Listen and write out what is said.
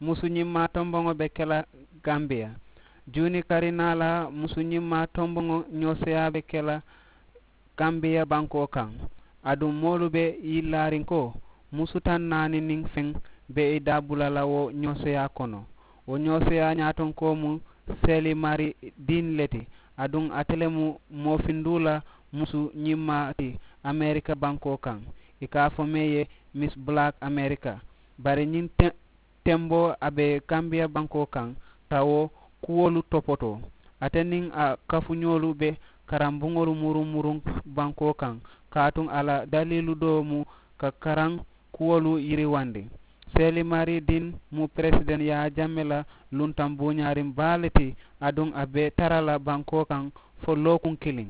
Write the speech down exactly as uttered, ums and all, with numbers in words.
Musu ñimmaa tomboŋo be ke la gambiya. Juuni kari naa la musu ñimmaa tomboŋo ñooseyaa be ke la gambiya bankoo kaŋ. Aduŋ moolu be i laariŋ ko musu taŋ naani niŋ feŋ be i daabula la wo ñooseyaa kono. Wo ñooseyaa ñaatonkoo mu seeli mari diin le ti. Aduŋ ate le mu moofinduu la musu ñimmaa ti amerika bankoo kaŋ. I ka a fo mee ye miss black amerika. Bari ñiŋ temboo a be kambiya bankoo kaŋ ka wo kuwolu topotoo. Ate niŋ a kafuñoolu be karambuŋolu muruŋ muruŋ bankoo kaŋ kaatuŋ a la daliilu doo mu ka karaŋ kuwolu yiriwandi. Seeli mari din mu peresideŋ yaa jamme la luntaŋ buuñaariŋ baa le ti. Aduŋ a be tara la bankoo kaŋ fo lookuŋ kiliŋ.